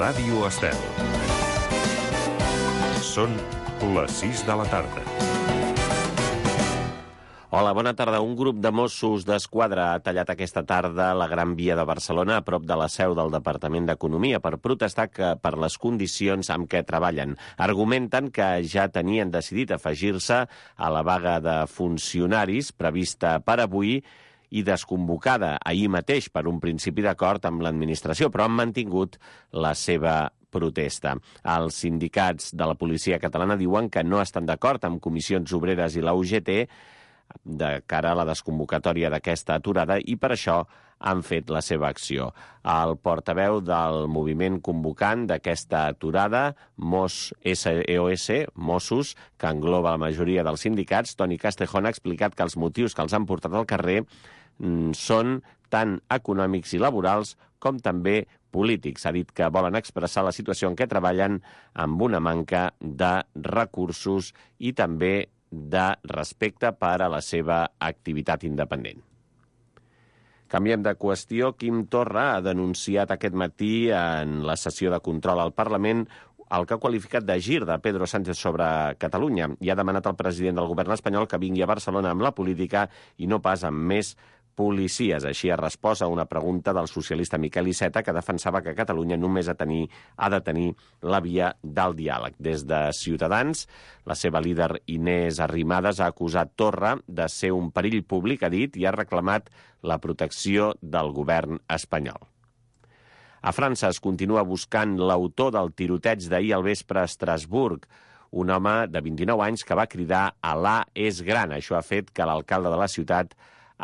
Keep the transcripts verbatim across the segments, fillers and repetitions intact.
Ràdio Estel. Són les sis de la tarda. Hola, bona tarda. Un grup de Mossos d'Esquadra ha tallat aquesta tarda la Gran Via de Barcelona, a prop de la seu del Departament d'Economia, per protestar que per les condicions amb què treballen. Argumenten que ja tenien decidit afegir-se a la vaga de funcionaris prevista per avui i desconvocada ahir mateix per un principi d'acord amb l'administració, però han mantingut la seva protesta. Els sindicats de la policia catalana diuen que no estan d'acord amb Comissions Obreres i la U G T de cara a la desconvocatòria d'aquesta aturada i per això han fet la seva acció. El portaveu del moviment convocant d'aquesta aturada, Mos S E O S, Mossos, que engloba la majoria dels sindicats, Toni Castejón, ha explicat que els motius que els han portat al carrer són tant econòmics i laborals com també polítics. Ha dit que volen expressar la situació en què treballen amb una manca de recursos i també de respecte per a la seva activitat independent. Canviem de qüestió. Quim Torra ha denunciat aquest matí en la sessió de control al Parlament el que ha qualificat de gir de Pedro Sánchez sobre Catalunya i ha demanat al president del govern espanyol que vingui a Barcelona amb la política i no pas amb més policies. Així ha respost a una pregunta del socialista Miquel Iceta, que defensava que Catalunya només ha, tenir, ha de tenir la via del diàleg. Des de Ciutadans, la seva líder Inés Arrimadas ha acusat Torra de ser un perill públic, ha dit, i ha reclamat la protecció del govern espanyol. A França es continua buscant l'autor del tiroteig d'ahir al vespre a Estrasburg, un home de vint-i-nou anys que va cridar «Alà és gran». Això ha fet que l'alcalde de la ciutat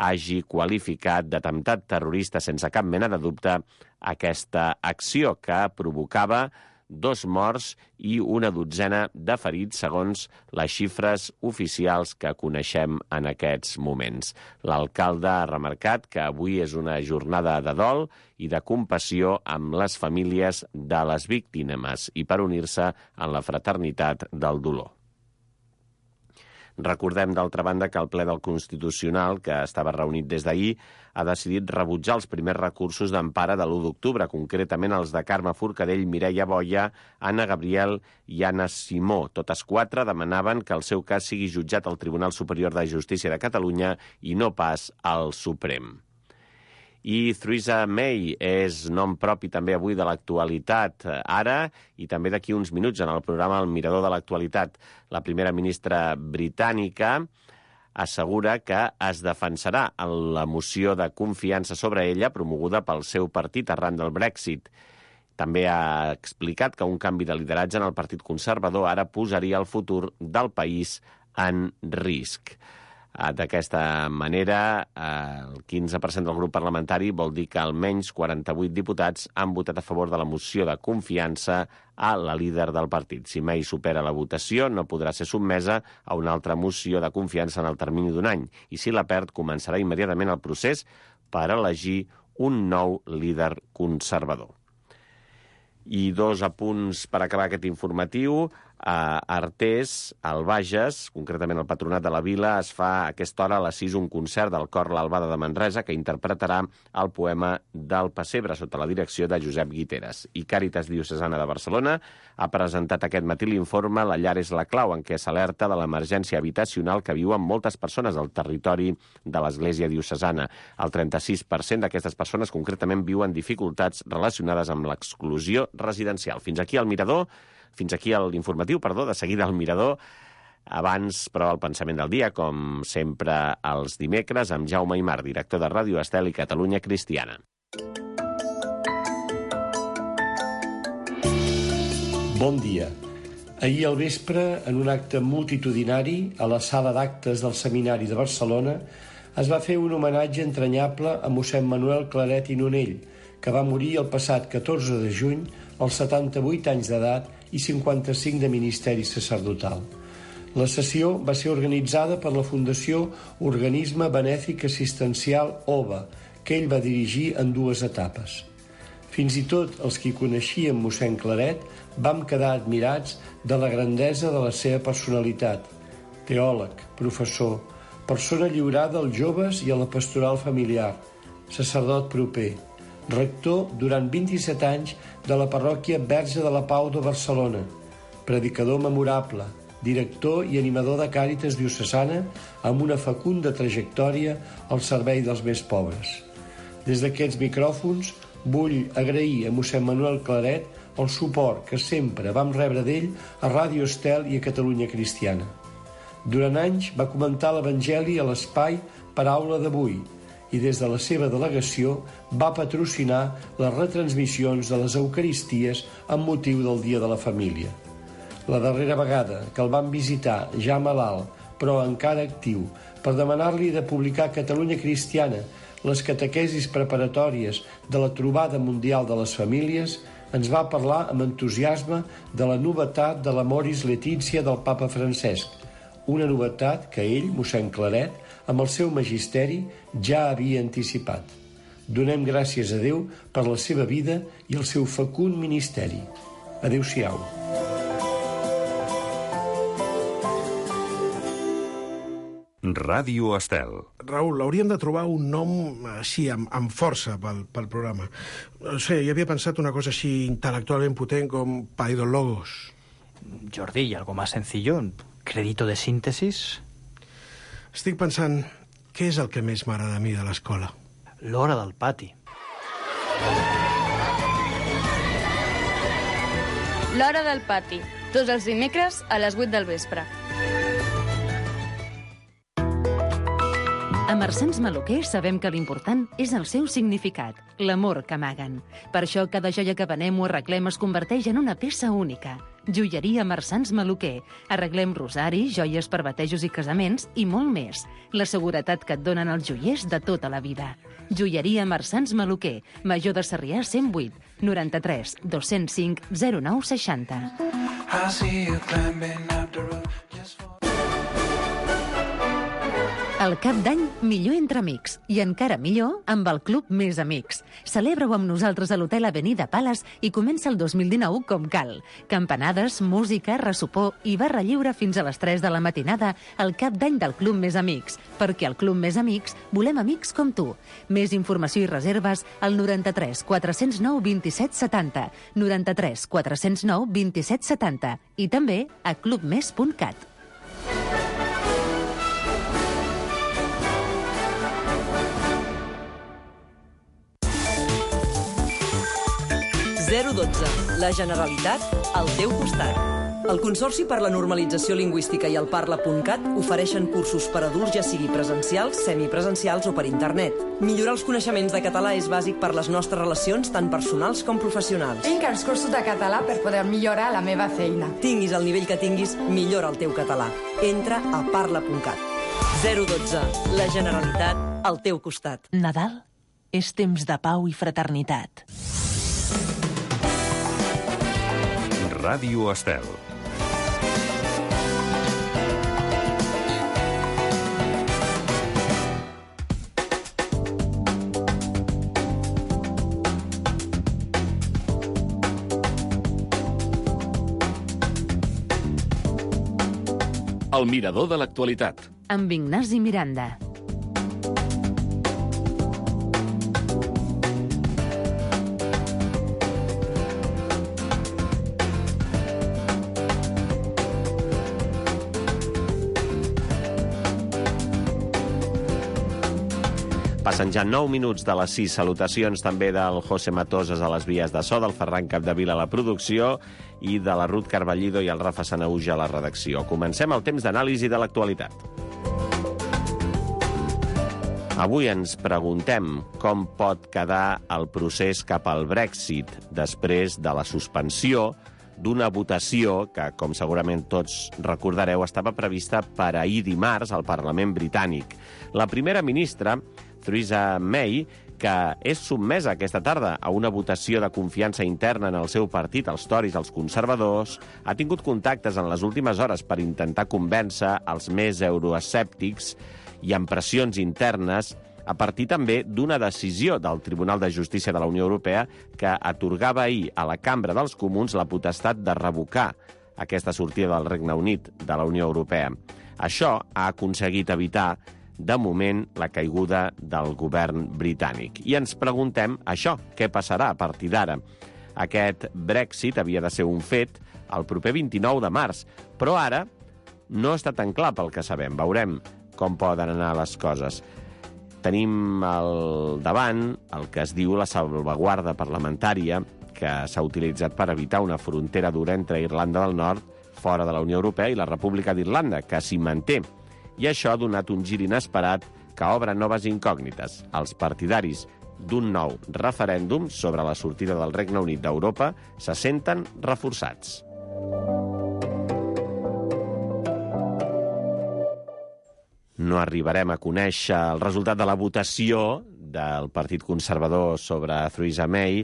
hagi qualificat d'atemptat terrorista sense cap mena de dubte aquesta acció que provocava dos morts i una dotzena de ferits, segons les xifres oficials que coneixem en aquests moments. L'alcalde ha remarcat que avui és una jornada de dol i de compassió amb les famílies de les víctimes i per unir-se en la fraternitat del dolor. Recordem, d'altra banda, que el ple del Constitucional, que estava reunit des d'ahir, ha decidit rebutjar els primers recursos d'empara de l'u d'octubre, concretament els de Carme Forcadell, Mireia Boia, Anna Gabriel i Anna Simó. Totes quatre demanaven que el seu cas sigui jutjat al Tribunal Superior de Justícia de Catalunya i no pas al Suprem. I Theresa May és nom propi també avui de l'actualitat ara i també d'aquí uns minuts en el programa El Mirador de l'Actualitat. La primera ministra britànica assegura que es defensarà en la moció de confiança sobre ella promoguda pel seu partit arran del Brexit. També ha explicat que un canvi de lideratge en el Partit Conservador ara posaria el futur del país en risc. D'aquesta manera, el quinze per cent del grup parlamentari vol dir que almenys quaranta-vuit diputats han votat a favor de la moció de confiança a la líder del partit. Si May supera la votació, no podrà ser sotmesa a una altra moció de confiança en el termini d'un any. I si la perd, començarà immediatament el procés per elegir un nou líder conservador. I dos apunts per acabar aquest informatiu. A Artés, al Bages, concretament al Patronat de la Vila, es fa a aquesta hora a les sis un concert del cor L'Albada de Manresa que interpretarà el poema del Pessebre sota la direcció de Josep Guiteres. I Càritas Diocesana de Barcelona ha presentat aquest matí l'informe La llar és la clau, en què s'alerta de l'emergència habitacional que viuen moltes persones al territori de l'Església Diocesana. El trenta-sis per cent d'aquestes persones concretament viuen dificultats relacionades amb l'exclusió residencial. Fins aquí el Mirador. Fins aquí l'informatiu, perdó, de seguida al Mirador. Abans, però, el pensament del dia, com sempre els dimecres, amb Jaume Aymar, director de Ràdio Estel i Catalunya Cristiana. Bon dia. Ahir al vespre, en un acte multitudinari, a la sala d'actes del Seminari de Barcelona, es va fer un homenatge entranyable a mossèn Manuel Claret i Nonell, que va morir el passat catorze de juny als setanta-vuit anys d'edat i cinquanta-cinc de ministeri sacerdotal. La sessió va ser organitzada per la Fundació Organisme Benèfic Assistencial O B A, que ell va dirigir en dues etapes. Fins i tot els qui coneixíem mossèn Claret vam quedar admirats de la grandesa de la seva personalitat. Teòleg, professor, persona lliurada als joves i a la pastoral familiar, sacerdot proper, rector durant vint-i-set anys de la parròquia Verge de la Pau de Barcelona, predicador memorable, director i animador de Càritas diocesana amb una fecunda trajectòria al servei dels més pobres. Des d'aquests micròfons vull agrair a mossèn Manuel Claret el suport que sempre vam rebre d'ell a Ràdio Estel i a Catalunya Cristiana. Durant anys va comentar l'Evangeli a l'espai Paraula d'Avui i des de la seva delegació va patrocinar les retransmissions de les Eucaristies amb motiu del Dia de la Família. La darrera vegada que el vam visitar, ja malalt, però encara actiu, per demanar-li de publicar a Catalunya Cristiana les catequesis preparatòries de la Trobada Mundial de les Famílies, ens va parlar amb entusiasme de la novetat de l'Amoris Laetitia del papa Francesc, una novetat que ell, mossèn Claret, amb el seu magisteri, ja havia anticipat. Donem gràcies a Déu per la seva vida i el seu fecund ministeri. Adéu-siau. Ràdio Estel. Raül, hauríem de trobar un nom així, amb, amb força pel, pel programa. No sé, jo havia pensat una cosa així intel·lectualment potent com Paidologos. Jordi, ¿y algo más sencillo? ¿Crédito de síntesis? Estic pensant, què és el que més m'agrada a mi de l'escola? L'hora del pati. L'hora del pati, tots els dimecres a les vuit del vespre. A Marsans Maluquer sabem que l'important és el seu significat, l'amor que amaguen. Per això cada joia que venem o arreglem es converteix en una peça única. Joieria Marsans Maluquer. Arreglem rosaris, joies per batejos i casaments i molt més. La seguretat que et donen els joiers de tota la vida. Joieria Marsans Maluquer. Major de Sarrià cent vuit, noranta-tres, dos-cents cinc, zero nou seixanta. El cap d'any, millor entre amics. I encara millor amb el Club Més Amics. Celebra-ho amb nosaltres a l'Hotel Avenida Palace i comença el dos mil dinou com cal. Campanades, música, ressopor i barra lliure fins a les tres de la matinada al cap d'any del Club Més Amics. Perquè al Club Més Amics volem amics com tu. Més informació i reserves al noranta-tres quatre-cents nou vint-i-set setanta, noranta-tres quatre-cents nou vint-i-set setanta i també a club més punt cat. zero dotze. La Generalitat al teu costat. El Consorci per la Normalització Lingüística i el Parla punt cat ofereixen cursos per adults, ja sigui presencials, semipresencials o per internet. Millorar els coneixements de català és bàsic per les nostres relacions, tant personals com professionals. Tinc els cursos de català per poder millorar la meva feina. Tinguis el nivell que tinguis, millora el teu català. Entra a Parla punt cat. zero dotze. La Generalitat al teu costat. Nadal és temps de pau i fraternitat. Ràdio Estel. El mirador de l'actualitat. Amb Ignasi Miranda. Passen ja nou minuts de les sis. Salutacions també del José Matosas a les vies de so, del Ferran Capdevila a la producció i de la Ruth Carballido i el Rafa Sanauja a la redacció. Comencem el temps d'anàlisi de l'actualitat. Avui ens preguntem com pot quedar el procés cap al Brexit després de la suspensió d'una votació que, com segurament tots recordareu, estava prevista per ahir dimarts al Parlament britànic. La primera ministra, Theresa May, que és sotmesa aquesta tarda a una votació de confiança interna en el seu partit, els Tories, els conservadors, ha tingut contactes en les últimes hores per intentar convèncer els més euroescèptics i amb pressions internes a partir també d'una decisió del Tribunal de Justícia de la Unió Europea que atorgava ahir a la Cambra dels Comuns la potestat de revocar aquesta sortida del Regne Unit de la Unió Europea. Això ha aconseguit evitar de moment, la caiguda del govern britànic. I ens preguntem això, què passarà a partir d'ara? Aquest Brexit havia de ser un fet el proper vint-i-nou de març, però ara no està tan clar pel que sabem. Veurem com poden anar les coses. Tenim al davant el que es diu la salvaguarda parlamentària, que s'ha utilitzat per evitar una frontera dura entre Irlanda del Nord, fora de la Unió Europea, i la República d'Irlanda, que s'hi manté. I això ha donat un gir inesperat que obre noves incògnites. Els partidaris d'un nou referèndum sobre la sortida del Regne Unit d'Europa se senten reforçats. No arribarem a conèixer el resultat de la votació del Partit Conservador sobre Theresa May,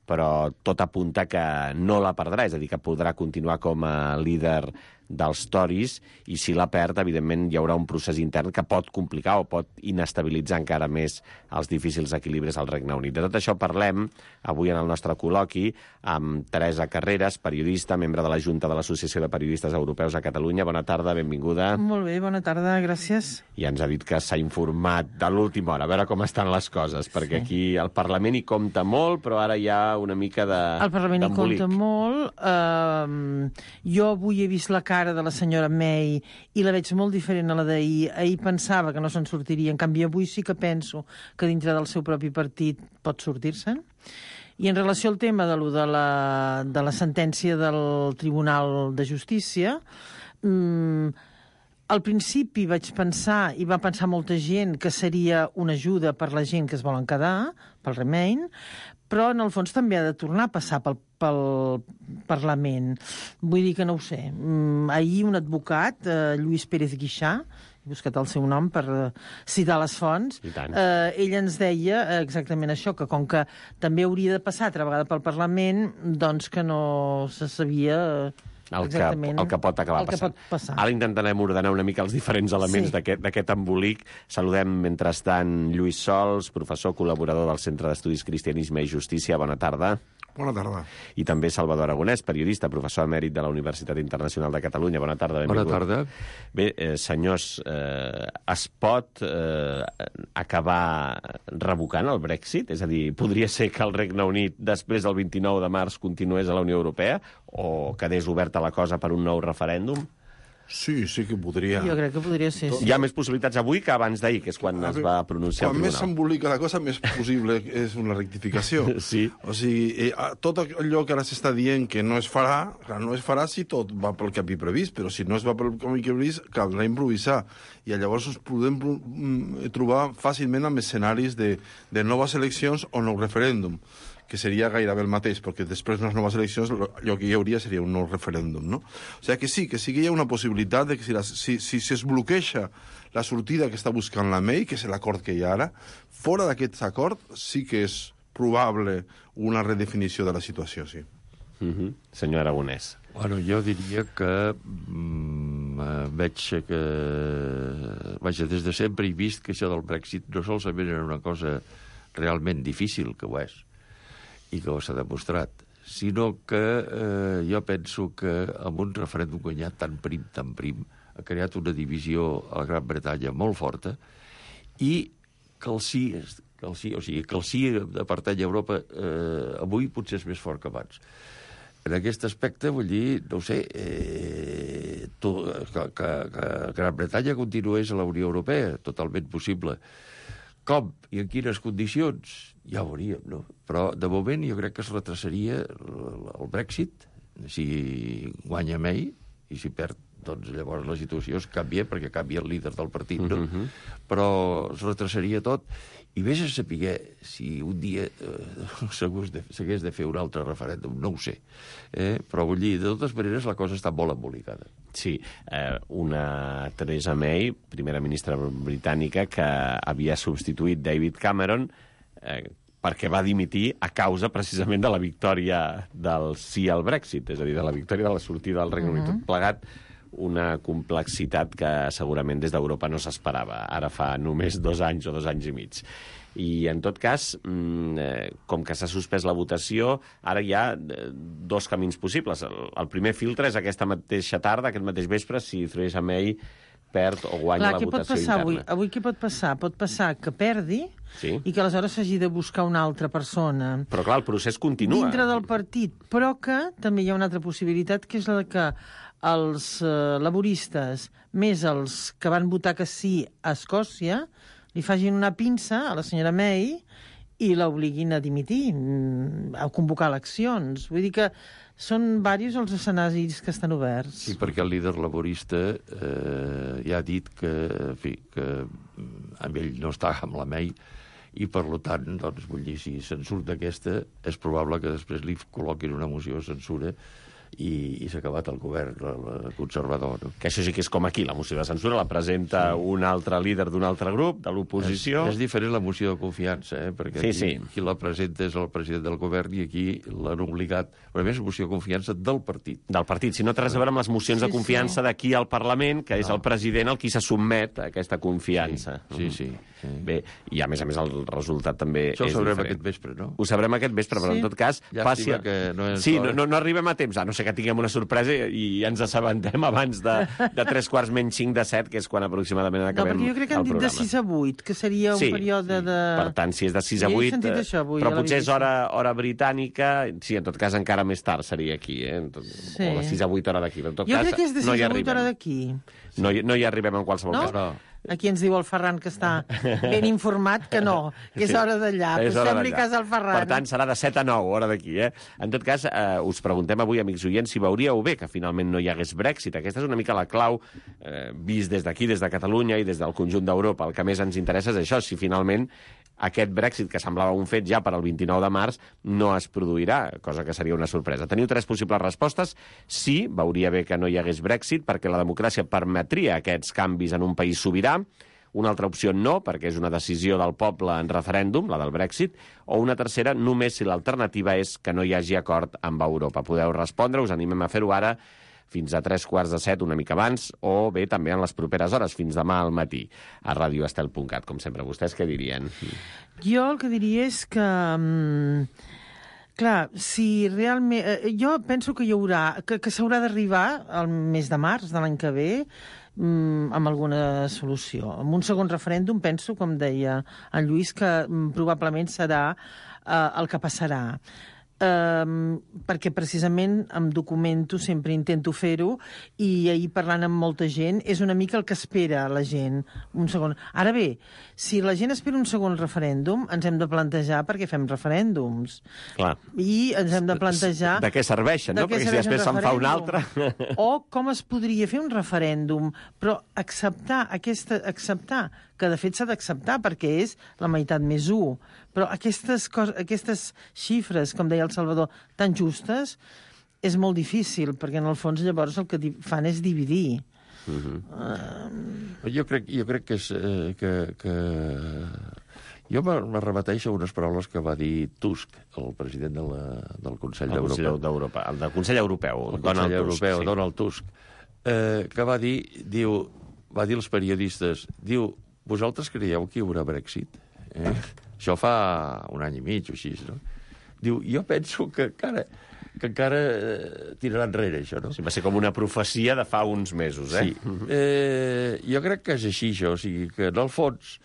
però tot apunta que no la perdrà, és a dir, que podrà continuar com a líder dels Tories, i si la perd, evidentment, hi haurà un procés intern que pot complicar o pot inestabilitzar encara més els difícils equilibris al Regne Unit. De tot això parlem avui en el nostre col·loqui amb Teresa Carreras, periodista, membre de la Junta de l'Associació de Periodistes Europeus a Catalunya. Bona tarda, benvinguda. Molt bé, bona tarda, gràcies. I ens ha dit que s'ha informat de l'última hora, a veure com estan les coses, perquè aquí el Parlament hi compta molt, però ara hi ha una mica de El Parlament hi d'embolic. compta molt. Uh, jo avui he vist la cara de la senyora May i la veig molt diferent a la d'ahir. Ahir pensava que no se'n sortiria, en canvi avui sí que penso que dintre del seu propi partit pot sortir-se'n. I en relació al tema de, lo de, la, de la sentència del Tribunal de Justícia, mmm, al principi vaig pensar, i va pensar molta gent, que seria una ajuda per la gent que es volen quedar, pel Remain, però en el fons també ha de tornar a passar pel, pel Parlament. Vull dir que no ho sé. Mm, ahir un advocat, eh, Lluís Pérez Guixà, he buscat el seu nom per eh, citar les fonts, eh, ell ens deia exactament això, que com que també hauria de passar altra vegada pel Parlament, doncs que no se sabia... Eh, El que, el que pot acabar el que passant. pot passar. Ara intentarem ordenar una mica els diferents elements Sí. d'aquest embolic. Saludem, mentrestant, Lluís Sols, professor col·laborador del Centre d'Estudis Cristianisme i Justícia. Bona tarda. Bona tarda. I també Salvador Aragonès, periodista, professor emèrit de la Universitat Internacional de Catalunya. Bona tarda, benvingut. Bona tarda. Bé, eh, senyors, eh, es pot eh, acabar revocant el Brexit? És a dir, podria ser que el Regne Unit, després del vint-i-nou de març, continués a la Unió Europea o quedés oberta la cosa per un nou referèndum? Sí, sí que podria. Jo crec que podria ser, sí. Hi ha més possibilitats avui que abans d'ahir, que és quan es va pronunciar Quan el més tribunal. s'embolica la cosa, més possible és una rectificació. Sí. O sigui, eh, tot allò que ara s'està dient que no es farà, clar, no es farà si tot va pel que havia previst, però si no es va pel que havia previst, caldrà improvisar. I llavors ens podem mm, trobar fàcilment amb escenaris de, de noves eleccions o nou referèndum, que seria gairebé el mateix, perquè després de les noves eleccions allò que hi hauria seria un nou referèndum, no? O sigui que sí, que sí que hi ha una possibilitat de que si, la, si, si, si es bloqueja la sortida que està buscant la May, que és l'acord que hi ha ara, fora d'aquest acord sí que és probable una redefinició de la situació, sí. Mm-hmm. Senyor Aragonès. Bueno, jo diria que mm, veig que... Vaja, des de sempre he vist que això del Brexit no solament era una cosa realment difícil, que ho és, i que ho s'ha demostrat, sinó que eh, jo penso que amb un referèndum guanyat tan prim, tan prim, ha creat una divisió a la Gran Bretanya molt forta, i que el sí, que el sí o sigui, que el sí de pertany a Europa eh, avui potser és més fort que abans. En aquest aspecte, vull dir, no ho sé, eh, to, que, que, que Gran Bretanya continués a la Unió Europea, totalment possible. Com i en quines condicions? Ja ho veuríem, no? Però, de moment, jo crec que es retrasaria el Brexit, si guanya May, i si perd, doncs llavors la situació es canvia, perquè canvia el líder del partit, no? Mm-hmm. Però es retrasaria tot, i vés a saber si un dia eh, s'hagués de fer un altre referèndum, no ho sé. Eh? Però vull dir, de totes maneres, la cosa està molt embolicada. Sí, eh, una Theresa May, primera ministra britànica, que havia substituït David Cameron eh, perquè va dimitir a causa precisament de la victòria del sí al Brexit, és a dir, de la victòria de la sortida del Regne Unit. Mhm. Tot plegat, una complexitat que segurament des d'Europa no s'esperava, ara fa només dos anys o dos anys i mig. I, en tot cas, com que s'ha suspès la votació, ara hi ha dos camins possibles. El primer filtre és aquesta mateixa tarda, aquest mateix vespre, si Theresa May perd o guanya Clar, la votació interna. Avui? avui què pot passar? Pot passar que perdi sí. i que aleshores s'hagi de buscar una altra persona. Però clar, el procés continua. Dintre del partit, però que també hi ha una altra possibilitat, que és la que els eh, laboristes, més els que van votar que sí a Escòcia, li facin una pinça a la senyora May i l'obliguin a dimitir, a convocar eleccions. Vull dir que són diversos els escenaris que estan oberts. Sí, perquè el líder laborista eh, ja ha dit que, en fi, que amb ell no està amb la May i, per tant, doncs, vull dir, si se'n surt d'aquesta, és probable que després li col·loquin una moció de censura i, i s'ha acabat el govern el conservador. No? Que això sí que és com aquí, la moció de censura la presenta sí. un altre líder d'un altre grup, de l'oposició. És, és diferent la moció de confiança, eh? Perquè sí, aquí, sí. qui la presenta és el president del govern i aquí l'han obligat. Però a més, moció de confiança del partit. Del partit, si no té res a veure amb les mocions sí, de confiança sí. d'aquí al Parlament, que és no. el president el qui se sotmet a aquesta confiança. Sí, sí. sí. sí. Bé, i a més a més el resultat també Això és ho sabrem diferent. aquest vespre, no? Ho sabrem aquest vespre, però sí. en tot cas... Llàstima passi... que no és sí, no, no, no arribem a temps, a no ser que tinguem una sorpresa i ens assabentem abans de, de tres quarts menys cinc de set, que és quan aproximadament acabem el programa. No, perquè jo crec que han dit de sis a vuit, que seria un sí, període de... Per tant, si és de sis a vuit... Jo he sentit això avui. Però potser és hora, hora britànica, sí, en tot cas encara més tard seria aquí, eh? Tot, sí. O de sis a vuit hora d'aquí. Jo cas, crec que és de sis no a vuit hora d'aquí. No, no hi arribem en qualsevol no? cas. No. Aquí ens diu el Ferran, que està ben informat, que no, que és sí, hora d'allà. Pues fem-li cas al Ferran. Per tant, serà de set a nou, hora d'aquí, eh? En tot cas, eh, us preguntem avui, amics oients, si veuríeu bé que finalment no hi hagués Brexit. Aquesta és una mica la clau, eh, vist des d'aquí, des de Catalunya i des del conjunt d'Europa. El que més ens interessa és això, si finalment aquest Brexit, que semblava un fet ja per al vint-i-nou de març, no es produirà, cosa que seria una sorpresa. Teniu tres possibles respostes. Sí, veuria bé que no hi hagués Brexit, perquè la democràcia permetria aquests canvis en un país sobirà. Una altra opció no, perquè és una decisió del poble en referèndum, la del Brexit, o una tercera, només si l'alternativa és que no hi hagi acord amb Europa. Podeu respondre, us animem a fer-ho ara, fins a tres quarts de set, una mica abans, o bé també en les properes hores, fins demà al matí, a radio estel punt cat, com sempre. Vostès què dirien? Jo el que diria és que... Clar, si realment... Jo penso que hi haurà... que, que s'haurà d'arribar al mes de març de l'any que ve amb alguna solució. Amb un segon referèndum penso, com deia en Lluís, que probablement serà eh, el que passarà. Um, perquè precisament em documento, sempre intento fer-ho, i ahir parlant amb molta gent és una mica el que espera la gent, un segon. Ara bé, si la gent espera un segon referèndum, ens hem de plantejar perquè fem referèndums. Clar. I ens hem de plantejar... De què serveixen, no? Perquè si després se'n fa un altre... O com es podria fer un referèndum, però acceptar aquesta... acceptar que de fet s'ha d'acceptar perquè és la meitat més u. Però aquestes, cos aquestes xifres, com deia el Salvador, tan justes, és molt difícil, perquè en el fons llavors el que fan és dividir. Uh-huh. uh... jo, crec, jo crec que és... Eh, que, que... Jo me repeteixo unes paraules que va dir Tusk, el president de la, del Consell d'Europa. El del Consell Europeu, el Donald Consell Tusk. Europeu, sí. Donald Tusk, eh, que va dir, diu, va dir als periodistes, diu, vosaltres creieu que hi haurà Brexit? Eh? Això fa un any i mig o així, no? Diu, jo penso que encara, que encara eh, tirarà enrere, això, no? Sí, va ser com una profecia de fa uns mesos, eh? Sí. Eh, jo crec que és així, això. O sigui, que en el fons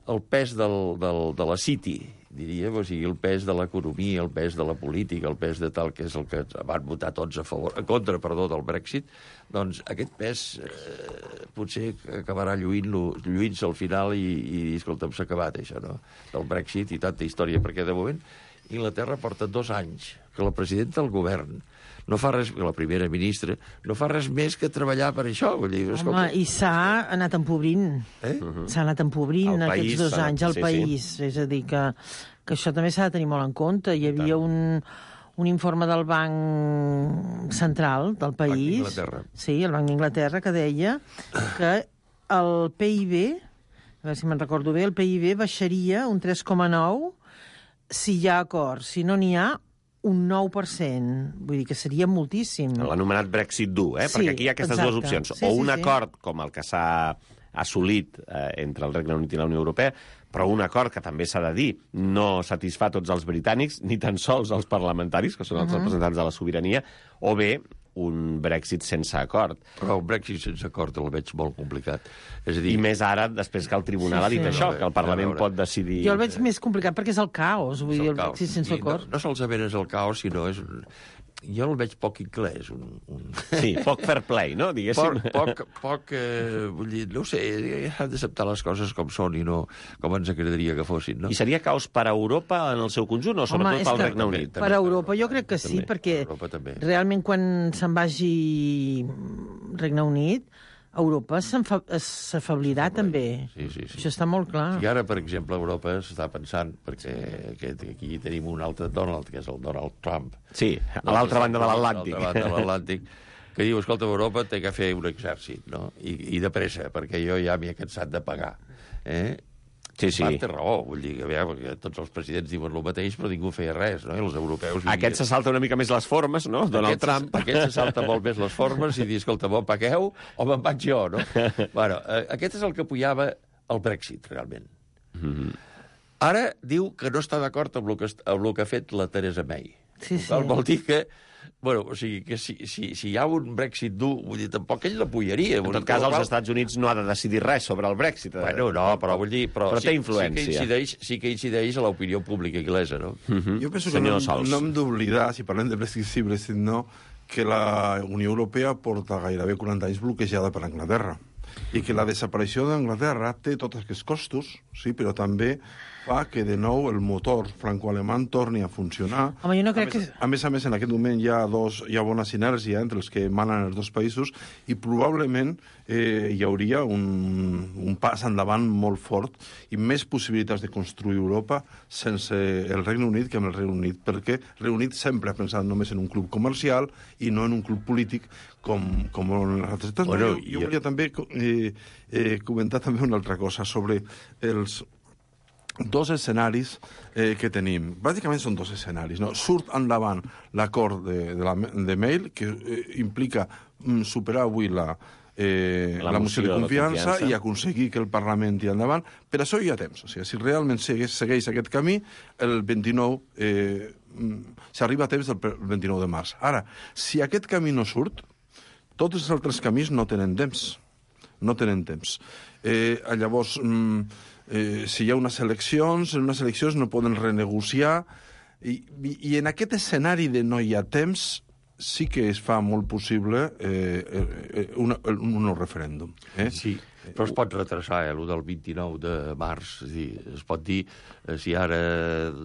el pes del, del, de la City, diríem, o sigui, el pes de l'economia, el pes de la política, el pes de tal, que és el que van votar tots a favor, en contra, perdó, del Brexit, doncs aquest pes eh, potser acabarà lluint-se lluint al final i, i escolta'm, s'ha acabat això, no?, del Brexit i tanta història, perquè de moment Inglaterra porta dos anys que la presidenta del govern no fa res, la primera ministra, no fa res més que treballar per això. Vull dir, home, i s'ha anat empobrint. Eh? Uh-huh. S'ha anat empobrint el aquests país, dos anys al sí, país. Sí. És a dir, que, que això també s'ha de tenir molt en compte. Hi havia un, un informe del Banc Central del país, Banc d'Inglaterra. Sí, el Banc d'Inglaterra, que deia que el P I B, a veure si me'n recordo bé, el P I B baixaria un tres coma nou si hi ha acord. Si no n'hi ha, un nou per cent. Vull dir que seria moltíssim. L'anomenat Brexit dur, eh? Sí, perquè aquí hi ha aquestes exacte. dues opcions. Sí, o sí, un sí. acord com el que s'ha assolit eh, entre el Regne Unit i la Unió Europea, però un acord que també s'ha de dir no satisfà tots els britànics, ni tan sols els parlamentaris, que són els uh-huh. representants de la sobirania, o bé un Brexit sense acord. Però un Brexit sense acord el veig molt complicat. És a dir... I més ara, després que el Tribunal Sí, ha dit sí. això, No, que el Parlament a veure. pot decidir... Jo el veig més complicat perquè és el caos, vull dir, el caos. Brexit sense I acord. No, no solament és el caos, sinó és... Un... Jo el veig poc anglès. Un, un... Sí, poc fair play, no? Diguéssim. Poc, poc, poc eh, vull dir, no ho sé, han d'acceptar les coses com són i no com ens agradaria que fossin, no? I seria caos per a Europa en el seu conjunt o sobretot és pel que Regne Unit? Per a Europa jo crec que sí, També. perquè Europa també. realment quan se'n vagi Regne Unit, Europa s'enfa- s'afablirà també. Sí, sí, sí. Això està molt clar. I ara, per exemple, Europa s'està pensant, perquè aquest, aquí tenim un altre Donald, que és el Donald Trump. Sí, a l'altra banda de l'Atlàntic. A l'altra banda de l'Atlàntic, que diu, escolta, Europa té que fer un exèrcit, no? I, i de pressa, perquè jo ja m'hi he cansat de pagar. Eh? Sí, sí. Part té raó, vull dir, que, veure, perquè tots els presidents diuen el mateix, però ningú feia res, no? I els europeus... Aquest se salta una mica més les formes, no? Donald aquest, Trump. Aquest se salta molt més les formes i dir, escolta, me'n pagueu o me'n vaig jo, no? Bueno, eh, aquest és el que apoyava el Brexit, realment. Mm -hmm. Ara diu que no està d'acord amb, el que, amb el que ha fet la Theresa May. Sí, sí. Vol, vol dir que... Bueno, o sigui, que si, si, si hi ha un Brexit dur, vull dir, tampoc ell l'apoyaria. En tot cas, els Estats Units no ha de decidir res sobre el Brexit. Bueno, no, però vull dir... Però, però sí, té influència. Sí que, incideix, sí que incideix a l'opinió pública inglesa, no? Mm-hmm. Jo penso que no, no hem d'oblidar, si parlem de Brexit sí, Brexit no, que la Unió Europea porta gairebé quaranta anys bloquejada per Anglaterra i que la desaparició d'Anglaterra té tots aquests costos, sí, però també fa que de nou el motor franco-alemany torni a funcionar. Home, jo no crec a, més, que... a més a més, en aquest moment hi ha, dos, hi ha bona sinergia entre els que manen els dos països i probablement eh, hi hauria un, un pas endavant molt fort i més possibilitats de construir Europa sense el Regne Unit que amb el Regne Unit, perquè el Regne Unit sempre ha pensat només en un club comercial i no en un club polític com, com en les altres. Bueno, jo, jo volia també eh, eh, comentar també una altra cosa sobre els dos escenaris eh, que tenim. Bàsicament són dos escenaris. No? Surt endavant l'acord de, de, la, de Mail, que eh, implica mm, superar avui la, eh, la, la moció de confiança, de confiança i aconseguir que el Parlament tiri endavant. Per això hi ha temps. O sigui, si realment segueix, segueix aquest camí, el vint-i-nou eh, s'arriba a temps del vint-i-nou de març. Ara, si aquest camí no surt, tots els altres camins no tenen temps. No tenen temps. Eh, llavors... Mm, Eh, si hi ha unes eleccions, en unes eleccions no poden renegociar, i, i, i en aquest escenari de no hi ha temps sí que es fa molt possible eh, eh, una, un, un nou referèndum. Eh? Sí, però es pot retrasar, eh, el del vint-i-nou de març. És dir, es pot dir, eh, si ara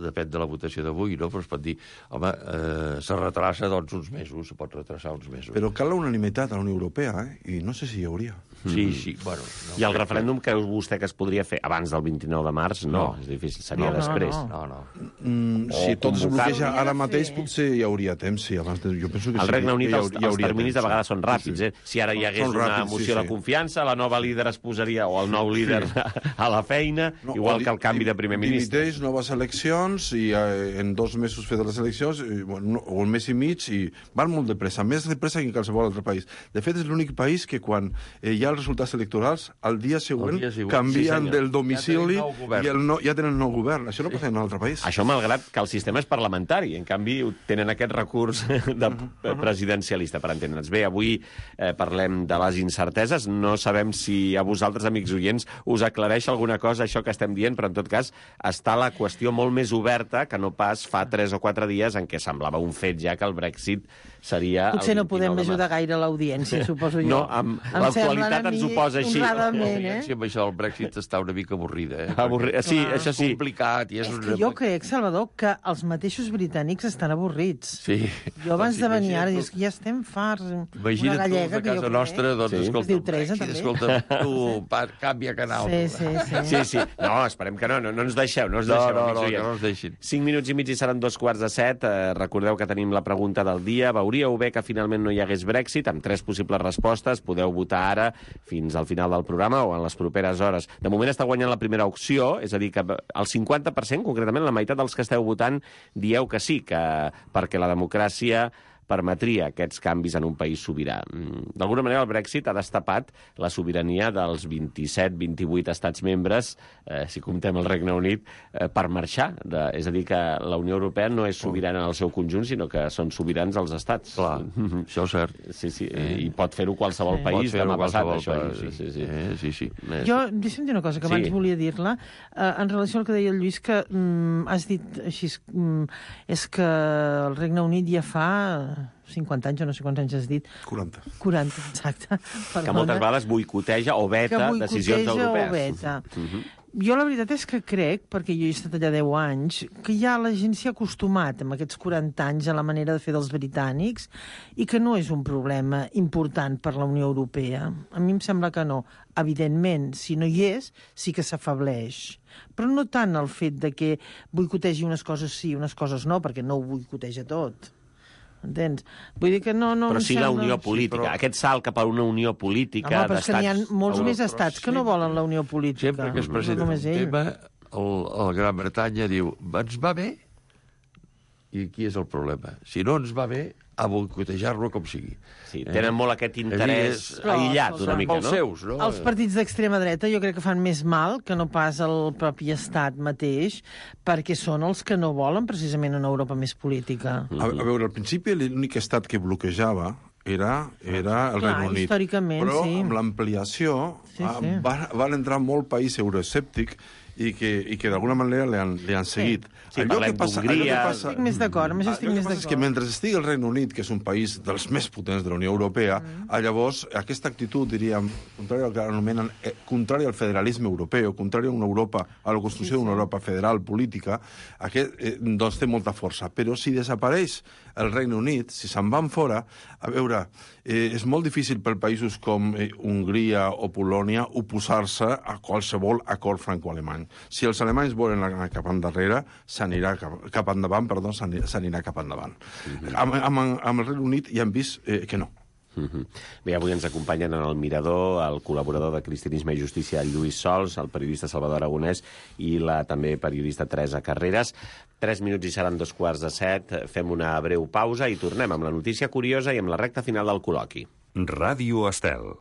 depèn de la votació d'avui, no? Però es pot dir, home, eh, se retrasa doncs uns mesos, se pot retrasar uns mesos. Però cal la unanimitat a la Unió Europea, eh? I no sé si hi hauria. Sí, sí, bueno... No, I el referèndum creu vostè que es podria fer abans del vint-i-nou de març? No, no. És difícil, seria no, després. No, no. no. Mm, si tot es bloqueja ara mateix, potser hi hauria temps, sí, abans de... Jo penso que al sí, Regne Unit els, hi els terminis temps, de vegades són ràpids, eh? Si ara hi hagués Són una ràpids, moció sí, de sí. confiança, la nova líder es posaria, o el nou líder, sí. a la feina, no, igual que el canvi de primer ministre. Dimiteix, noves eleccions, i eh, en dos mesos fet les eleccions, i, bueno, o un mes i mig, i van molt de pressa, més de pressa que en qualsevol altre país. De fet, és l'únic país que quan eh, hi ha els resultats electorals, al dia següent, dia següent canvien sí, del domicili ja tenen i el no, ja tenen nou govern. Això no passa en un altre país. Això malgrat que el sistema és parlamentari. En canvi, tenen aquest recurs de presidencialista, per entendre'ns. Bé, avui eh, parlem de les incerteses. No sabem si a vosaltres, amics oients, us aclareix alguna cosa això que estem dient, però en tot cas està la qüestió molt més oberta que no pas fa tres o quatre dies en què semblava un fet ja que el Brexit seria... Potser no podem ajudar gaire l'audiència, suposo jo. No, amb l'actualitat ens ho posa així. Eh? Sí, amb això el Brexit està una mica avorrida, eh? Avorri... Sí, Clar. això sí. És complicat. I és és una... que jo crec, Salvador, que els mateixos britànics estan avorrits. Sí. Jo abans doncs, de venir ara, tu... dius que ja estem farts. Imagina't una gallega, tu, a casa nostra, doncs, sí. escolta, diu Teresa, Brexit, també. escolta, tu, pa, canvia canal. Sí, sí, sí. Sí, sí. No, esperem que no, no, no ens deixeu, no ens No, deixeu, no, amics no, oients. que no ens deixin. Cinc minuts i mig i seran dos quarts de set. Eh, recordeu que tenim la pregunta del dia. Veuríeu bé que finalment no hi hagués Brexit? Amb tres possibles respostes. Podeu votar ara fins al final del programa o en les properes hores. De moment està guanyant la primera opció, és a dir, que el cinquanta per cent, concretament la meitat dels que esteu votant, dieu que sí, que perquè la democràcia permetria aquests canvis en un país sobirà. D'alguna manera, el Brexit ha destapat la sobirania dels vint-i-set vint-i-vuit estats membres, eh, si comptem el Regne Unit, eh, per marxar. De, és a dir, que la Unió Europea no és sobirana en el seu conjunt, sinó que són sobirans els estats. Clar, això és cert. Sí, sí, eh. i pot fer-ho qualsevol Sí. país Pot fer-ho demà passat, qualsevol això. país, Sí, sí, sí. Eh, sí, sí. Jo, deixa'm dir una cosa, que abans Sí. volia dir-la, eh, en relació al que deia el Lluís, que mm, has dit així, mm, és que el Regne Unit ja fa cinquanta anys, o no sé quants anys has dit. quaranta. quaranta, exacte. Perdona. Que moltes vegades boicoteja o veta decisions europees. O veta. Uh -huh. Jo la veritat és que crec, perquè jo he estat allà deu anys, que ja la gent s'hi ha acostumat amb aquests quaranta anys a la manera de fer dels britànics i que no és un problema important per la Unió Europea. A mi em sembla que no. Evidentment, si no hi és, sí que s'afableix. Però no tant el fet de que boicotegi unes coses sí, unes coses no, perquè no ho boicoteja tot. Entens? Vull dir que no... no però sí sembla... la unió política. Sí, però... Aquest salt cap a una unió política Home, però és que n'hi ha molts Euro... més estats que no volen la unió política. Sempre que es presenta no un tema, el, el Gran Bretanya diu ens va bé, i aquí és el problema. Si no ens va bé, a boicotejar-lo com sigui. Sí, tenen eh? molt aquest interès Però, aïllat una mica, no? Seus, no? Els partits d'extrema dreta jo crec que fan més mal que no pas el propi estat mateix, perquè són els que no volen precisament una Europa més política. A, a veure, al principi l'únic estat que bloquejava era, era el Clar, Regne Unit. històricament, però sí. amb l'ampliació Sí, sí. va, van entrar molt país euroescèptic i que, i que d'alguna manera li han, li han seguit. Sí, allò que passa, allò que passa... Estic més d'acord, amb això estic més d'acord. És que mentre estigui el Regne Unit, que és un país dels més potents de la Unió Europea, mm. llavors aquesta actitud, diríem, contrària al que anomenen, eh, contrària al federalisme europeu, contrària a una Europa, a la construcció sí, sí. d'una Europa federal política, aquest, eh, doncs té molta força. Però si desapareix el Regne Unit, si se'n van fora, a veure, eh, és molt difícil per països com eh, Hongria o Polònia oposar-se a qualsevol acord franco-alemany. Si els alemanys volen anar cap endarrere, s'anirà cap, cap endavant, perdó, s'anirà cap endavant. Mm-hmm. amb, amb, amb el Regne Unit ja hem vist eh, que no. Mm-hmm. Bé, avui ens acompanyen en el Mirador el col·laborador de Cristianisme i Justícia, Lluís Sols, el periodista Salvador Aragonès i la també periodista Teresa Carreras. Tres minuts i seran dos quarts de set. Fem una breu pausa i tornem amb la notícia curiosa i amb la recta final del col·loqui. Ràdio Estel.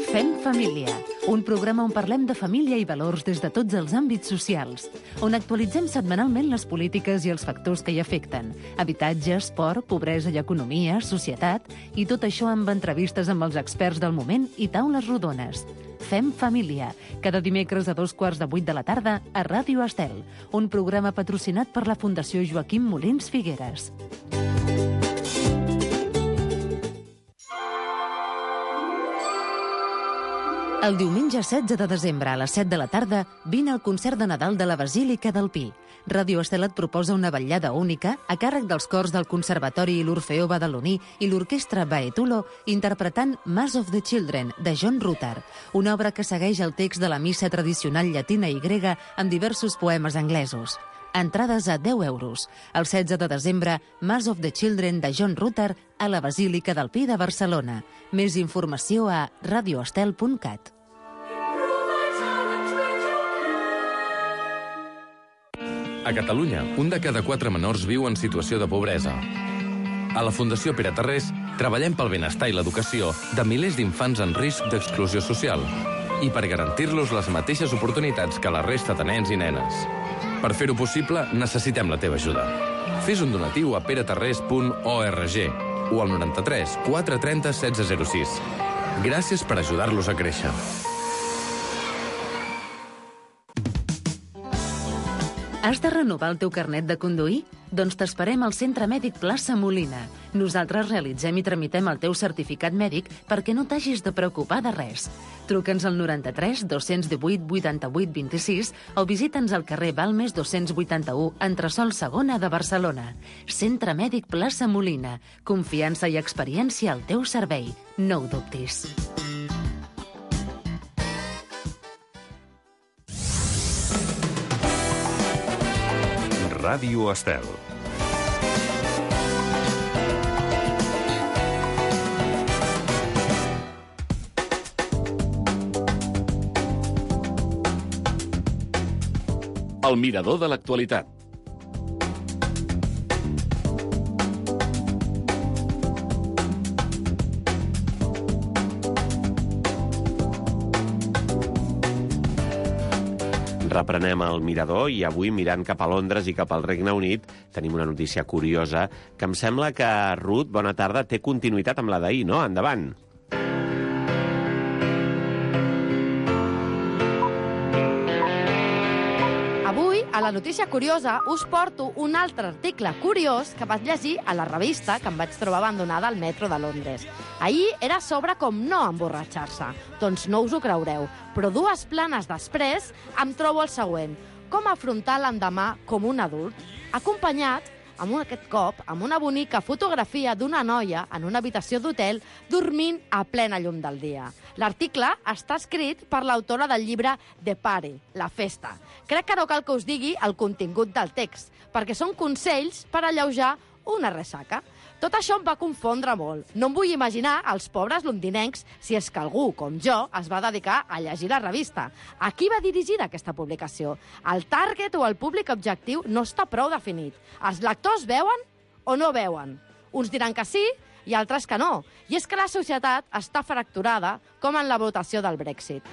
Fem família, un programa on parlem de família i valors des de tots els àmbits socials, on actualitzem setmanalment les polítiques i els factors que hi afecten, habitatge, esport, pobresa i economia, societat, i tot això amb entrevistes amb els experts del moment i taules rodones. Fem família, cada dimecres a dos quarts de vuit de la tarda a Ràdio Estel, un programa patrocinat per la Fundació Joaquim Molins Figueres. El diumenge setze de desembre a les set de la tarda vine al concert de Nadal de la Basílica del Pi. Ràdio Estel et proposa una vetllada única a càrrec dels cors del Conservatori i l'Orfeó Badaloní i l'Orquestra Baetulo interpretant Mass of the Children, de John Rutter, una obra que segueix el text de la missa tradicional llatina i grega amb diversos poemes anglesos. Entrades a deu euros. El setze de desembre, Mass of the Children de John Rutter a la Basílica del Pi de Barcelona. Més informació a radioestel punt cat. A Catalunya, un de cada quatre menors viu en situació de pobresa. A la Fundació Pere Tarrés treballem pel benestar i l'educació de milers d'infants en risc d'exclusió social i per garantir-los les mateixes oportunitats que la resta de nens i nenes. Per fer-ho possible, necessitem la teva ajuda. Fes un donatiu a peretarrés punt org o al noranta-tres quatre trenta setze zero sis. Gràcies per ajudar-los a créixer. Has de renovar el teu carnet de conduir? Doncs t'esperem al Centre Mèdic Plaça Molina. Nosaltres realitzem i tramitem el teu certificat mèdic perquè no t'hagis de preocupar de res. Truca'ns al noranta-tres dos-cents divuit vuitanta-vuit vint-i-sis o visita'ns al carrer Balmes dos-cents vuitanta-u, entresòl segona de Barcelona. Centre Mèdic Plaça Molina. Confiança i experiència al teu servei. No ho dubtis. Ràdio Estel. El Mirador de l'actualitat. Reprenem el mirador i avui, mirant cap a Londres i cap al Regne Unit, tenim una notícia curiosa que em sembla que, Ruth, bona tarda, té continuïtat amb la d'ahir, no? Endavant. Avui, a la notícia curiosa, us porto un altre article curiós que vaig llegir a la revista que em vaig trobar abandonada al metro de Londres. Ahir era sobre com no emborratxar-se. Doncs no us ho creureu, però dues planes després em trobo el següent. Com afrontar l'endemà com un adult, acompanyat, amb aquest cop, amb una bonica fotografia d'una noia en una habitació d'hotel dormint a plena llum del dia. L'article està escrit per l'autora del llibre The Party, La Festa. Crec que no cal que us digui el contingut del text, perquè són consells per alleujar una ressaca. Tot això em va confondre molt. No em vull imaginar els pobres londinencs si és que algú, com jo, es va dedicar a llegir la revista. A qui va dirigida aquesta publicació? El target o el públic objectiu no està prou definit. Els lectors veuen o no veuen? Uns diran que sí i altres que no. I és que la societat està fracturada, com en la votació del Brexit.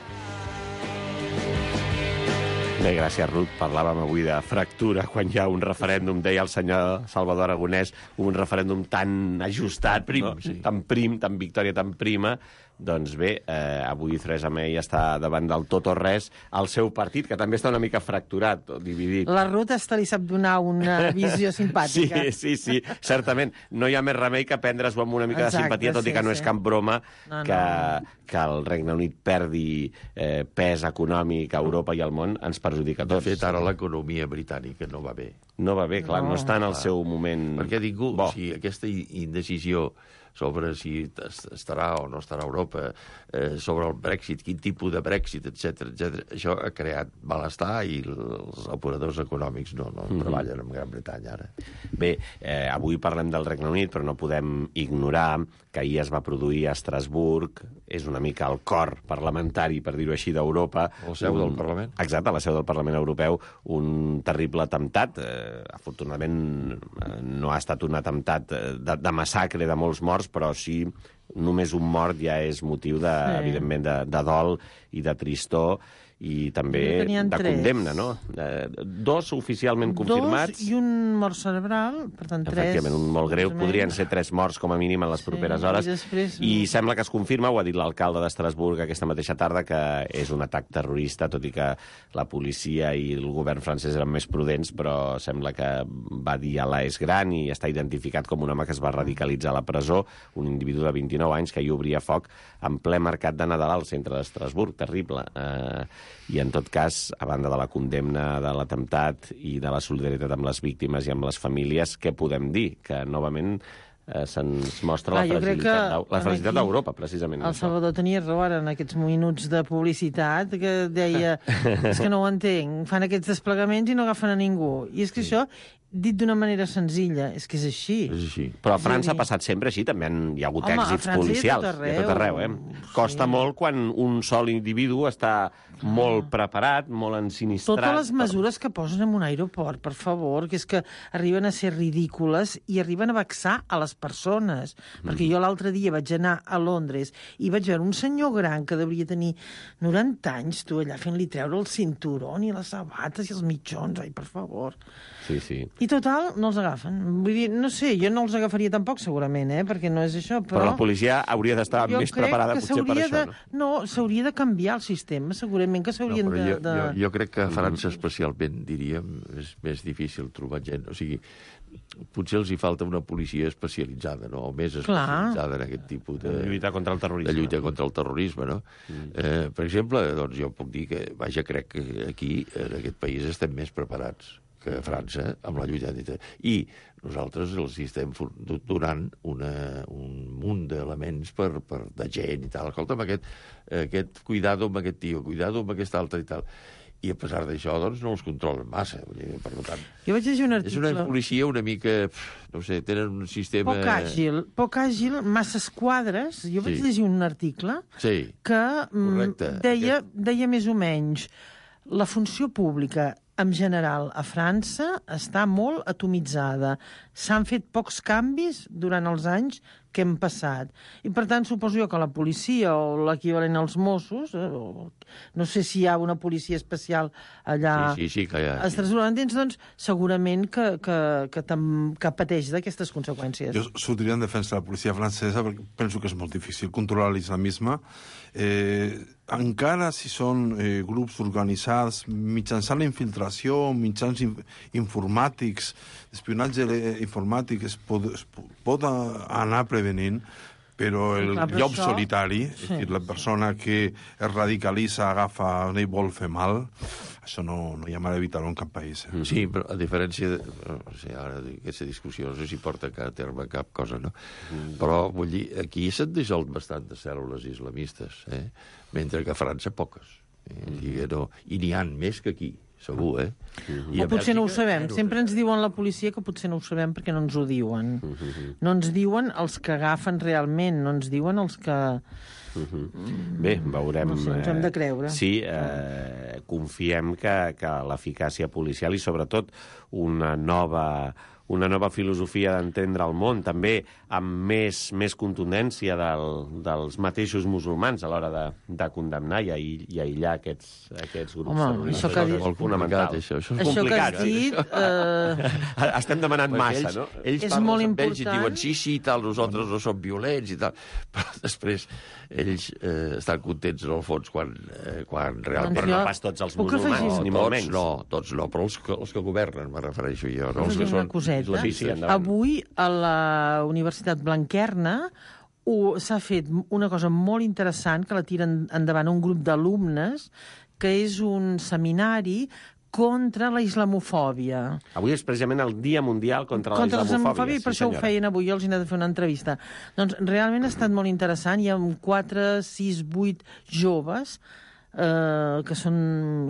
Bé, gràcies, Ruth. Parlàvem avui de fractura quan hi ha un referèndum, deia el senyor Salvador Aragonès, un referèndum tan ajustat, prim, no? Sí. tan prim, tan victòria tan prima. Doncs bé, eh, avui Theresa May està davant del tot o res al seu partit, que també està una mica fracturat o dividit. La Ruth hasta li sap donar una visió simpàtica. Sí, sí, sí, certament. No hi ha més remei que prendre's-ho amb una mica Exacte, de simpatia, tot sí, i que no sí. és cap broma No, que, no. que el Regne Unit perdi eh, pes econòmic a Europa i al món, ens perjudica a De tots. fet, ara l'economia britànica no va bé. No va bé, clar, no, no està en el clar. seu moment Perquè ningú, bo. o sigui, aquesta indecisió sobre si estarà o no estarà a Europa, eh, sobre el Brexit, quin tipus de Brexit, etcètera, etcètera. Això ha creat malestar i els operadors econòmics no, no Mhm. treballen en Gran Bretanya ara. Bé, eh, avui parlem del Regne Unit, però no podem ignorar que ahir es va produir a Estrasburg, és una mica el cor parlamentari, per dir-ho així, d'Europa. La seu del Parlament. Exacte, la seu del Parlament Europeu, un terrible atemptat. Eh, afortunadament eh, no ha estat un atemptat de, de massacre de molts morts, però sí només un mort ja és motiu, de, Sí. evidentment, de, de dol i de tristor, i també N'hi havien de tres. condemna, no? Eh, dos oficialment confirmats. Dos i un mort cerebral, per tant, tres... Efectivament, un molt greu. més o Podrien menys. ser tres morts com a mínim en les properes i hores. després- I sembla que es confirma, ho ha dit l'alcalde d'Estrasburg aquesta mateixa tarda, que és un atac terrorista, tot i que la policia i el govern francès eren més prudents, però sembla que va dir a l'A és gran i està identificat com un home que es va radicalitzar a la presó, un individu de vint-i-nou anys que hi obria foc en ple mercat de Nadal al centre d'Estrasburg. Terrible. Eh, I en tot cas, a banda de la condemna de l'atemptat i de la solidaritat amb les víctimes i amb les famílies, què podem dir? Que, novament, eh, se'ns mostra Clar, la jo crec fragilitat, que d'Eu- la fragilitat aquí d'Europa, precisament. El això. Salvador tenia raó ara en aquests minuts de publicitat, que deia, és que no ho entenc, fan aquests desplegaments i no agafen a ningú. I és que això, dit d'una manera senzilla, és que és així. És així. Però a És a França dir- ha passat sempre així, també han, hi ha hagut Home, a èxits França i a tot policials. arreu. I a tot arreu, eh? Costa molt quan un sol individu està molt preparat, molt ensinistrat. Totes les per- mesures que posen en un aeroport, per favor, que és que arriben a ser ridícules i arriben a vexar a les persones. Mm. Perquè jo l'altre dia vaig anar a Londres i vaig veure un senyor gran que devia tenir noranta anys, tu, allà fent-li treure el cinturó i les sabates i els mitjons, ai, per favor. Sí, sí. I total, no els agafen. Vull dir, no sé, jo no els agafaria tampoc, segurament, eh? Perquè no és això, però... Però la policia hauria d'estar jo més crec preparada que potser per s'hauria això, de... no? No, s'hauria de canviar el sistema, segurament que No, s'haurien però de... jo, de... jo, jo crec que a França especialment, diríem, és més difícil trobar gent. O sigui, potser els hi falta una policia especialitzada, no? O més especialitzada en aquest tipus de... De lluitar contra el terrorisme. De lluita contra el terrorisme, no? Mm. Eh, per exemple, doncs jo puc dir que, vaja, crec que aquí, en aquest país, estem més preparats que a França amb la lluita anti. I nosaltres els estem donant una, un munt d'elements per, per, de gent i tal. Escolta'm, aquest, aquest cuidado amb aquest tio, cuidado amb aquest altre i tal. I a pesar d'això, doncs, no els controlen massa. Vull dir, per tant, Jo vaig llegir un és una article... policia una mica, no sé, tenen un sistema... Poc àgil, poc àgil, masses quadres. Jo vaig Sí. llegir un article Sí, que mm, correcte. deia, deia més o menys la funció pública en general a França està molt atomitzada. S'han fet pocs canvis durant els anys què hem passat. I, per tant, suposo jo que la policia o l'equivalent als Mossos, eh, o, no sé si hi ha una policia especial allà Sí, sí, sí, que hi ha. a Estrasburg, entens? Doncs segurament que, que, que, tam, que pateix d'aquestes conseqüències. Jo sortiria en defensa de la policia francesa perquè penso que és molt difícil controlar l'islamisme. Eh, encara si són eh, grups organitzats mitjançant la infiltració, mitjans in, informàtics, espionatge informàtic, es pot, es pot anar prevenint, però el Clar, però llop això... solitari, Sí. és a dir, la persona que es radicalitza, agafa i vol fer mal, això no, no hi ha manera d'evitar-ho en cap país. Eh? Sí, però a diferència de... O sigui, ara aquesta discussió no sé si porta a terme cap cosa, no? Mm. Però, vull dir, aquí s'han dissolt bastant de cèl·lules islamistes, eh? Mentre que a França poques. Eh? Mm. I, no, i n'hi ha més que aquí, segur, eh? Mm. O potser no ho sabem. Sempre ens diuen la policia que potser no ho sabem perquè no ens ho diuen. Mm-hmm. No ens diuen els que agafen realment, no ens diuen els que... Mm-hmm. Bé, veurem... No sé, ens hem de creure. Eh, sí, eh, confiem que, que l'eficàcia policial i, sobretot, una nova... una nova filosofia d'entendre el món, també amb més, més contundència del, dels mateixos musulmans a l'hora de, de condemnar i, i aïllar aquests, aquests grups. Home, això que ha dit... és fonamental. Això, això és això complicat. Que has dit... Eh... Estem demanant massa, ells, no? Ells és parlen molt amb important. ells i diuen sí, sí, tal, nosaltres no som violents i tal, però després ells eh, estan contents en el fons quan, eh, quan realment... Però no pas tots els musulmans, no, ni molt tots menys. no, tots no, però els que, els que governen, me refereixo jo, no? Els que són coseta. Sí, sí, avui a la Universitat Blanquerna s'ha fet una cosa molt interessant que la tiren endavant un grup d'alumnes, que és un seminari contra la islamofòbia. Avui és precisament el Dia Mundial contra, contra la islamofòbia. I per sí, això senyora. Ho feien avui, jo els he anat a fer una entrevista. Doncs realment ha estat molt interessant. Hi ha quatre, sis, vuit joves eh, que són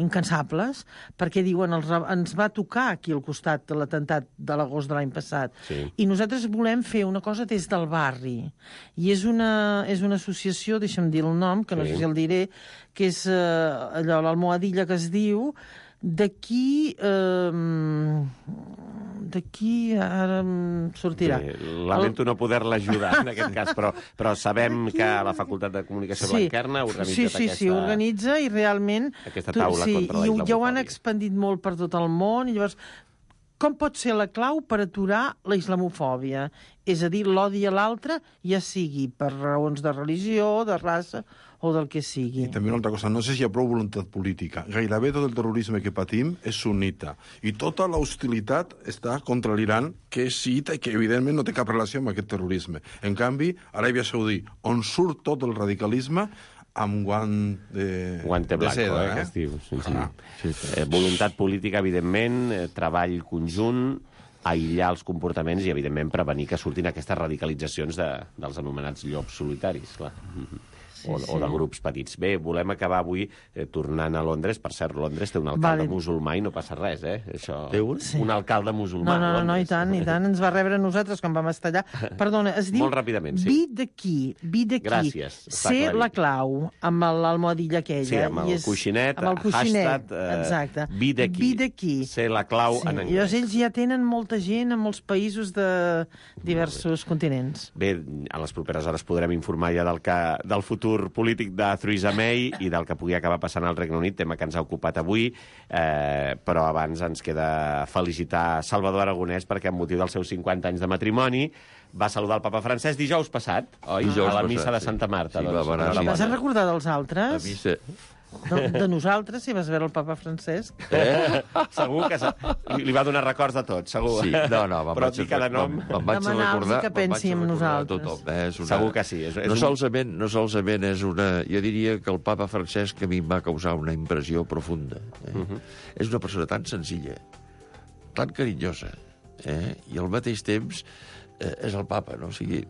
incansables, perquè diuen els, ens va tocar aquí al costat de l'atemptat de l'agost de l'any passat. Sí. I nosaltres volem fer una cosa des del barri. I és una, és una associació, deixa'm dir el nom, que no sí. sé si el diré, que és eh, allò, l'Almohadilla que es diu, d'aquí... Eh, d'aquí ara em sortirà. Bé, lamento el... no poder-la ajudar en aquest cas, però, però sabem que la Facultat de Comunicació sí. Blanquerna ha organitzat sí, sí, aquesta... Sí, organitza i realment... Aquesta taula tu, sí, contra la islamofòbia. I ja ho han expandit molt per tot el món, i llavors... Com pot ser la clau per aturar la islamofòbia? És a dir, l'odi a l'altre, ja sigui per raons de religió, de raça o del que sigui. I també una altra cosa, no sé si hi ha prou voluntat política. Gairebé tot el terrorisme que patim és sunnita. I tota l'hostilitat està contra l'Iran, que és xiita i que, evidentment, no té cap relació amb aquest terrorisme. En canvi, Aràbia Saudí, on surt tot el radicalisme, amb guant de, Guante blanco, de seda, eh, eh? que es diu. Sí, sí. Ah. Sí, sí. Eh, voluntat política, evidentment, eh, treball conjunt, aïllar els comportaments i, evidentment, prevenir que surtin aquestes radicalitzacions de, dels anomenats llops solitaris, clar. Sí, o, sí. o de grups petits. Bé, volem acabar avui eh, tornant a Londres. Per cert, Londres té un alcalde vale. musulmà i no passa res, eh? Això... Té un? Sí. Un alcalde musulmà. No, no, no, no, i tant, i tant. Ens va rebre a nosaltres quan vam estar allà. Perdona, es diu... Molt ràpidament, sí. Be the key, be the key. Gràcies. Ser la clau, amb l'almohadilla aquella. Sí, amb el és... coixinet, amb el coixinet. hashtag, eh, exacte. Be the key. Be the key. Ser la clau sí. en anglès. I llavors ells ja tenen molta gent en molts països de diversos continents. Bé, a les properes hores podrem informar ja del, que, del futur polític de Theresa May i del que pugui acabar passant al Regne Unit, tema que ens ha ocupat avui, eh, però abans ens queda felicitar Salvador Aragonès perquè amb motiu dels seus cinquanta anys de matrimoni va saludar el papa Francesc dijous passat, oi? Dijous a la passat, missa de sí. Santa Marta. Sí, doncs, va anar, sí. Vas a recordar dels altres? La missa... De, de nosaltres, si vas veure el papa Francesc. Eh? Segur que li va donar records de tot, segur. Sí, no, no, però dir cada nom... Me'n vaig recordar, que pensi en nosaltres. Tothom, eh? És una... Segur que sí. És, és no, un... solament, no solament és una... Jo diria que el papa Francesc a mi em va causar una impressió profunda. Eh? Uh -huh. És una persona tan senzilla, tan carinyosa, eh? I al mateix temps eh, és el papa, no? O sigui,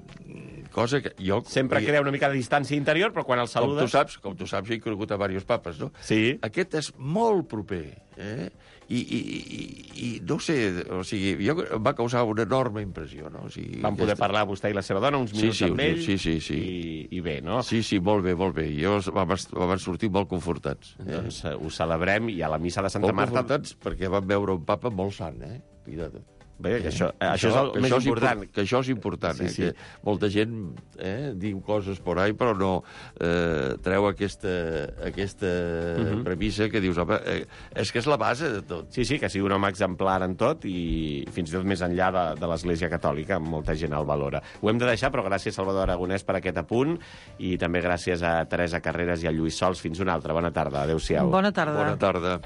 cosa que jo... Sempre crea una mica de distància interior, però quan el saludes... Com tu saps, com tu saps, he conegut a diversos papes, no? Sí. Aquest és molt proper, eh? I, i, i, i no sé, o sigui, jo, em va causar una enorme impressió, no? O sigui, Vam poder aquesta... parlar vostè i la seva dona uns minuts sí, sí, amb ell, sí, sí, sí. I, i bé, no? Sí, sí, molt bé, molt bé. Jo vam, vam sortir molt confortats. Eh? Doncs ho celebrem i a la missa de Santa molt Marta... Molt confortats perquè vam veure un papa molt sant, eh? Cuida't. Bé, que això, eh, això és el que més això és important. impor- Que això és important, Sí, eh? sí. Que molta gent eh, diu coses por ahí, però no eh, treu aquesta, aquesta Mhm. premissa que dius, home, eh, és que és la base de tot. Sí, sí, que sigui un home exemplar en tot i fins i tot més enllà de, de l'Església Catòlica, molta gent el valora. Ho hem de deixar, però gràcies Salvador Aragonès per aquest apunt i també gràcies a Teresa Carreras i a Lluís Sols. Fins una altra. Bona tarda. Adéu-siau. Bona tarda. Bona tarda.